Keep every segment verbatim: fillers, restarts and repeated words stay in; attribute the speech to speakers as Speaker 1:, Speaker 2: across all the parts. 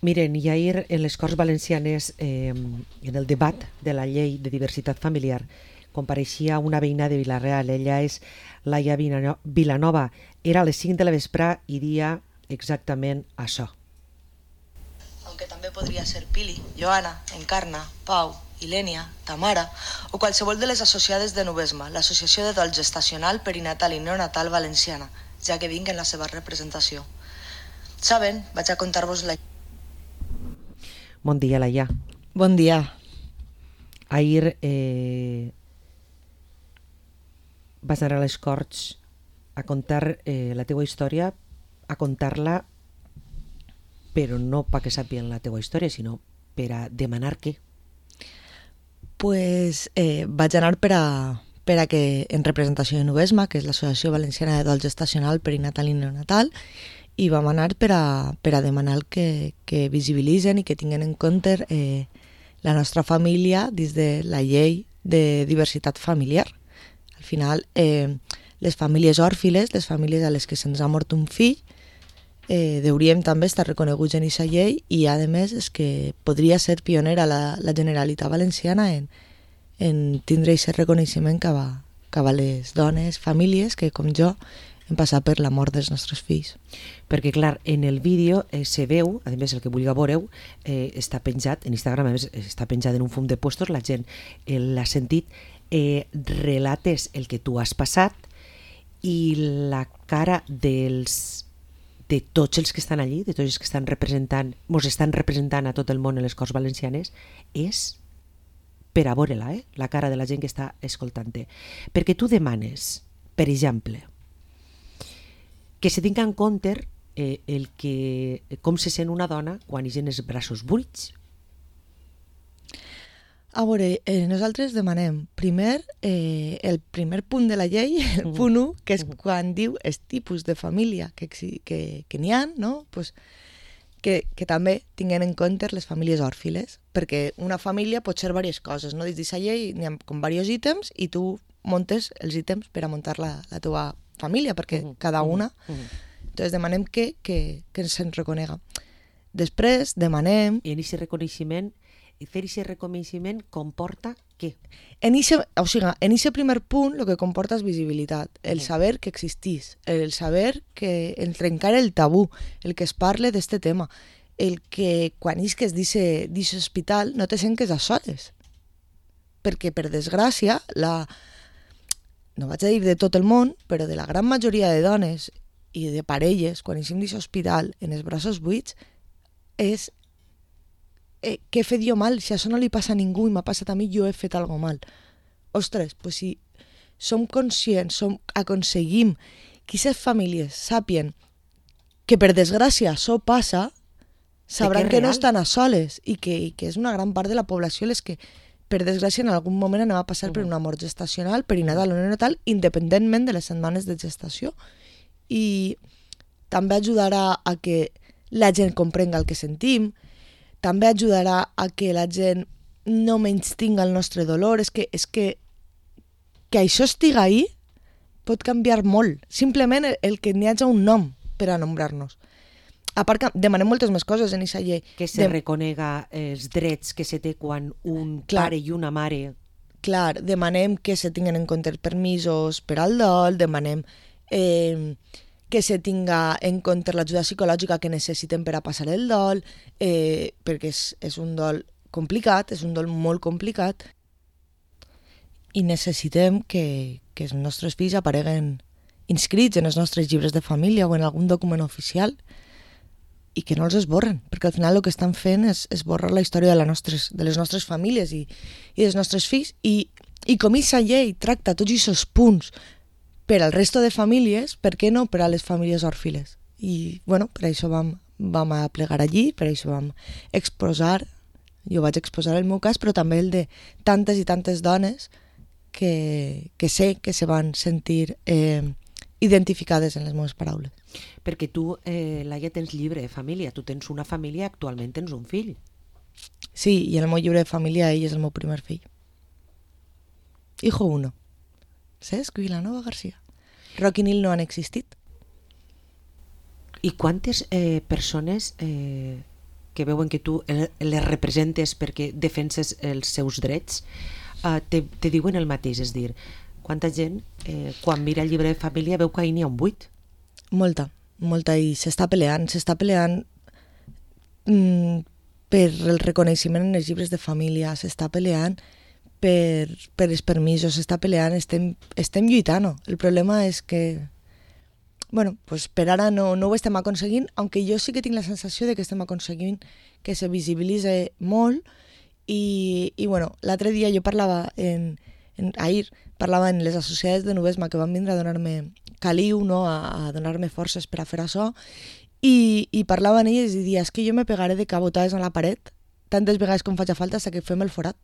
Speaker 1: Miren, i ahir en les Corts Valencianes, eh, en el debat de la llei de diversitat familiar, compareixia una veïna de Vila-real. Ella és Laia Vilanova. Era a les cinc de la vesprà i dia exactament això.
Speaker 2: Aunque també podria ser Pili, Joana, Encarna, Pau, Ilènia, Tamara o qualsevol de les associades de Nubesma, l'Associació de Dol Gestacional, Perinatal i Neonatal Valenciana, ja que vinc en la seva representació. Saben, vaig a contar-vos la...
Speaker 1: Bon dia, Laia.
Speaker 3: Bon dia.
Speaker 1: Ahir eh, vas anar a les Corts a contar eh, la teua història, a contar-la, però no perquè sàpien la teua història, sinó per a demanar què?
Speaker 3: Pues eh, vaig anar per a, per a que, en representació de Nubesma, que és l'Associació Valenciana de Dol Gestacional, Perinatal i Neonatal, i vam anar per a, per a demanar que, que visibilitzen i que tinguin en compte eh, la nostra família dins de la llei de diversitat familiar. Al final, eh, les famílies òrfiles, les famílies a les que se'ns ha mort un fill, eh, hauríem també estar reconeguts en aquesta llei i, a més, és que podria ser pionera la, la Generalitat Valenciana en, en tindre aquest reconeixement cap a, cap a les dones, famílies que, com jo, hem passat per la mort dels nostres fills.
Speaker 1: Perquè, clar, en el vídeo eh, se veu, a més, el que vulgui veureu, eh, està penjat, en Instagram, a més, està penjat en un fum de puestos, la gent eh, l'ha sentit, eh, relates el que tu has passat i la cara dels, de tots els que estan allí, de tots els que estan representant, mos estan representant a tot el món en les Corts Valencianes, és per a veure-la, eh? La cara de la gent que està escoltant-te. Perquè tu demanes, per exemple, que se tinga en compte eh, el que, com se sent una dona quan hi ha els braços buits.
Speaker 3: A veure, eh, nosaltres demanem primer eh, el primer punt de la llei, el
Speaker 1: Mm.
Speaker 3: punt u, que és
Speaker 1: Mm.
Speaker 3: quan diu els tipus de família que, exi- que, que n'hi ha, no? Pues, que, que també tinguin en compte les famílies òrfiles, perquè una família pot ser diverses coses, no? Dins d'aquesta llei n'hi ha com diversos ítems i tu montes els ítems per a muntar la, la teva família, perquè
Speaker 1: Mhm,
Speaker 3: cada una...
Speaker 1: mhm, mhm.
Speaker 3: Entonces demanem que, que, que se'n reconega. Després demanem...
Speaker 1: I en aquest reconeixement, fer aquest reconeixement comporta què?
Speaker 3: En ixe, o sigui, en aquest primer punt el que comporta és visibilitat, el
Speaker 1: Mhm.
Speaker 3: saber que existís, el saber que el trencar el tabú, el que es parle d'este tema, el que quan isques d'aquest hospital no te sentes a soles. Perquè, per desgràcia, la, no vaig a dir de tot el món, però de la gran majoria de dones i de parelles, quan eixim d'aquest hospital en els braços buits, és eh, què he fet jo mal? Si això no li passa a ningú i m'ha passat a mi, jo he fet alguna mal. Ostres, pues si som conscients, som, aconseguim que aquestes famílies sàpien que per desgràcia això passa, sabran
Speaker 1: que és
Speaker 3: que no
Speaker 1: real.
Speaker 3: estan a soles i que, i que és una gran part de la població les que per desgràcia en algun moment anem a passar uh-huh. per una mort gestacional, perinatal o neonatal, independentment de les setmanes de gestació. I també ajudarà a que la gent comprenga el que sentim, també ajudarà a que la gent no menystinga el nostre dolor. És que, és que, que això estiga ahí pot canviar molt. Simplement el, el que n'hi hagi un nom per a nombrar-nos. A part que demanem moltes més coses en aquesta llei.
Speaker 1: Que se
Speaker 3: De-
Speaker 1: reconega els drets que se té quan un
Speaker 3: Clar.
Speaker 1: pare i una mare...
Speaker 3: Clar, demanem que se tinguen en compte permisos per al dol, demanem eh, que se tinga en compte l'ajuda psicològica que necessiten per a passar el dol, eh, perquè és, és un dol complicat, és un dol molt complicat, i necessitem que, que els nostres fills apareguen inscrits en els nostres llibres de família o en algun document oficial i que no els esborren, perquè al final el que estan fent és esborrar la història de, la nostres, de les nostres famílies i, i dels nostres fills. I, i com aquesta llei tracta tots aquests punts per al resto de famílies, per què no per a les famílies òrfiles? I, bueno, per això vam, vam a plegar allí, per això vam exposar, jo vaig exposar el meu cas, però també el de tantes i tantes dones que, que sé que se van sentir eh, identificades en les meves paraules.
Speaker 1: Perquè tu, eh, Laia, tens llibre de família. Tu tens una família, actualment tens un fill.
Speaker 3: Sí, i en el meu llibre de família ell és el meu primer fill. Hijo uno. Cesc Vilanova García. Roc i Nil no han existit.
Speaker 1: I quantes eh, persones eh, que veuen que tu les representes perquè defenses els seus drets, eh, te, te diuen el mateix, és dir, quanta gent eh, quan mira el llibre de família veu que ahir n'hi ha un buit?
Speaker 3: Molta, molta, i s'està peleant, s'està peleant mm, per el reconeixement en els llibres de família, s'està peleant per, per els permisos, s'està peleant, estem, estem lluitant. El problema és que, bueno, pues per ara no, no ho estem aconseguint, aunque jo sí que tinc la sensació de que estem aconseguint que se visibilitze molt, i, i bueno, l'altre dia jo parlava, en, en, ahir, parlava en les associades de Nubesma que van vindre a donar-me caliu, no? a, a donar-me forces per a fer això, i, i parlava en elles i dia, és que jo me pegaré de cabotades a la paret tantes vegades com faci falta fins que fem el forat.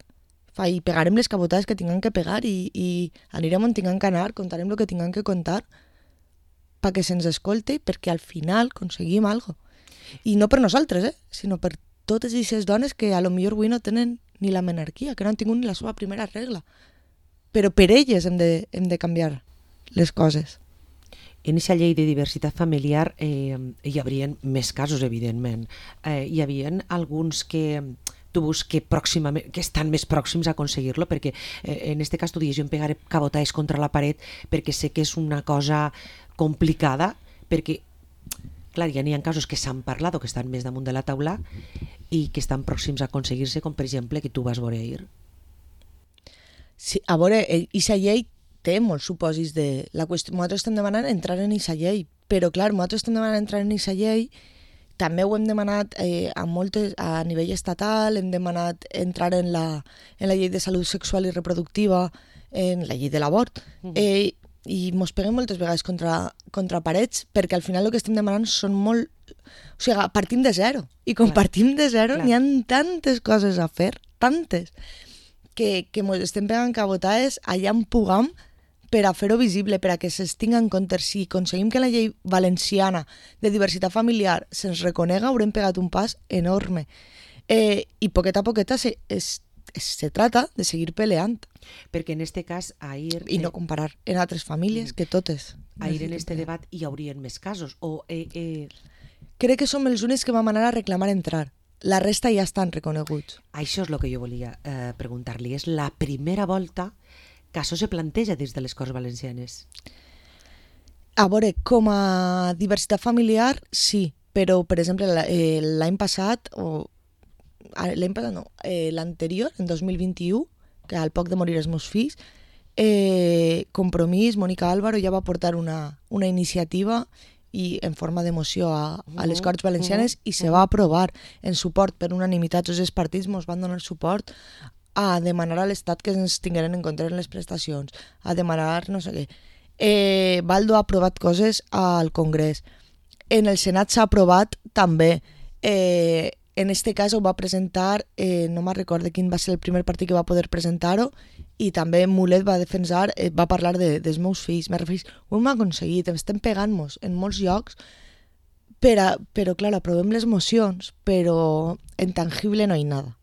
Speaker 3: Fa, i pegarem les cabotades que tinguem que pegar i, i anirem on tinguem que anar, contarem el que tinguem que contar perquè se'ns escolte i perquè al final aconseguim alguna cosa. I no per nosaltres, eh? sinó per totes aquestes dones que a lo millor avui no tenen ni la menarquia, que no han tingut ni la seva primera regla. Però per elles hem de, hem de canviar les coses.
Speaker 1: En aquesta llei de diversitat familiar eh, hi haurien més casos, evidentment. Eh, hi havia alguns que tu veus que, pròximament, que estan més pròxims a aconseguir-lo, perquè eh, en aquest cas tu dius, jo em pegaré cabotades contra la paret perquè sé que és una cosa complicada, perquè clar, ja n'hi ha casos que s'han parlat o que estan més damunt de la taula i que estan pròxims a aconseguir-se, com per exemple que tu vas veure ahir.
Speaker 3: Sí, a veure, aquesta llei té molts supòsits de... La qüestió, nosaltres estem demanant entrar en aquesta llei, però clar, nosaltres estem demanant entrar en aquesta llei, també ho hem demanat eh, a, moltes, a nivell estatal, hem demanat entrar en la, en la llei de salut sexual i reproductiva, en la llei de l'abort, mm. eh, i mos peguem moltes vegades contra, contra parets, perquè al final el que estem demanant són molt... O sigui, partim de zero, i quan clar. partim de zero n'hi ha tantes coses a fer, tantes, que, que mos estem pegant cabotades allà en pugam per a fer-ho visible, per a que se'ns tingui en compte. Si aconseguim que la llei valenciana de diversitat familiar se'ns reconega, haurem pegat un pas enorme. Eh, I poqueta a poqueta se, es, es, se trata de seguir peleant.
Speaker 1: Perquè en este cas, ahir...
Speaker 3: I no comparar en altres famílies, que totes.
Speaker 1: Ahir en este debat hi haurien més casos, o... Eh, eh...
Speaker 3: Crec que som els únics que vam anar a reclamar entrar. La resta ja estan reconeguts.
Speaker 1: Això és el que jo volia eh, preguntar-li. És la primera volta que això se planteja des de les Corts Valencianes.
Speaker 3: A veure, com a diversitat familiar, sí, però, per exemple, l'any passat, o l'any passat no, eh, l'anterior, en dos mil vint-i-u, que al poc de morir els meus fills, eh, Compromís, Mònica Álvaro, ja va portar una, una iniciativa i en forma de moció a, a les Corts Valencianes, uh -huh. i se va aprovar en suport per unanimitat. Tots els partits ens van donar suport a demanar a l'Estat que ens tingueren en compte en les prestacions, a demanar no sé què. Eh, Baldo ha aprovat coses al Congrés. En el Senat s'ha aprovat també. Eh, en este cas ho va presentar, eh, no me'n recordo quin va ser el primer partit que va poder presentar-ho, i també Mulet va defensar, eh, va parlar de, dels meus fills. Me referís, ho hem aconseguit, estem pegant-nos en molts llocs, per a, però clar, aprovem les mocions, però en tangible no hi ha nada.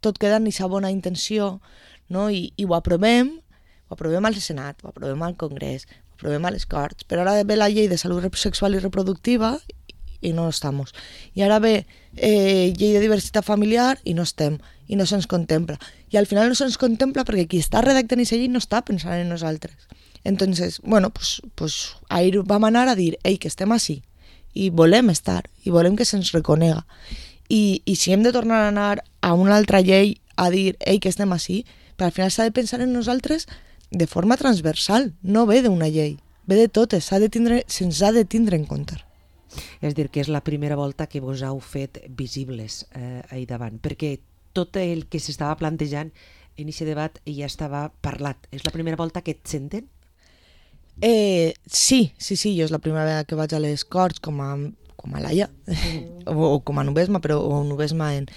Speaker 3: Tot queda en aquesta bona intenció, no? I, i ho aprovem, ho aprovem al Senat, ho aprovem al Congrés, ho aprovem a les Corts, però ara ve la llei de salut sexual i reproductiva i no estamos. I ara ve eh, llei de diversitat familiar i no estem, i no se'ns contempla. I al final no se'ns contempla perquè qui està redactant aquesta llei no està pensant en nosaltres. Entonces, bueno, pues, pues ahir vam anar a dir, ei, que estem així, i volem estar, i volem que se'ns reconega. I, i si hem de tornar a anar a una altra llei a dir, ei, que estem així, però al final s'ha de pensar en nosaltres de forma transversal, no ve d'una llei, ve de totes, s'ha de tindre, se'ns ha de tindre en compte.
Speaker 1: És dir, que és la primera volta que vos heu fet visibles eh, ahir davant, perquè tot el que s'estava plantejant en aquest debat ja estava parlat. És la primera volta que et senten?
Speaker 3: Eh, sí, sí, sí, jo és la primera vegada que vaig a les Corts com a, com a Laia, mm. o, o com a Nubesma, però o Nubesma en...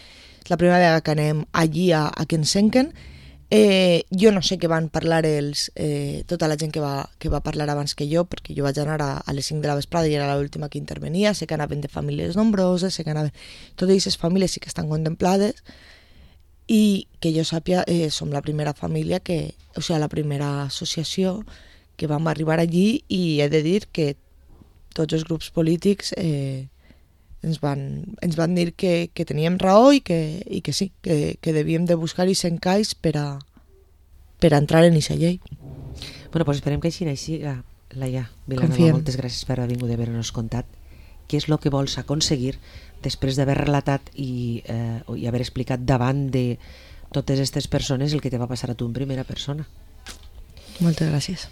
Speaker 3: és la primera vegada que anem allí a, a que ens senquen. Eh, jo no sé què van parlar els, eh, tota la gent que va, que va parlar abans que jo, perquè jo vaig anar a, a les cinc de la vesprada i era l'última que intervenia. Sé que anaven de famílies nombroses, sé que anaven... Totes aquestes famílies sí que estan contemplades, i que jo sàpia, eh, som la primera família que, o sigui, la primera associació que vam arribar allí, i he de dir que tots els grups polítics eh, ens van, ens van dir que, que teníem raó i que, i que sí, que, que devíem de buscar i s'encaix per a, per a entrar en aquesta llei.
Speaker 1: Bueno, doncs esperem que així així. Laia Vilanova,
Speaker 3: Confiem.
Speaker 1: moltes gràcies per haver vingut i haver-nos contat què és el que vols aconseguir després d'haver relatat i, eh, i haver explicat davant de totes aquestes persones el que te va passar a tu en primera persona.
Speaker 3: Moltes gràcies.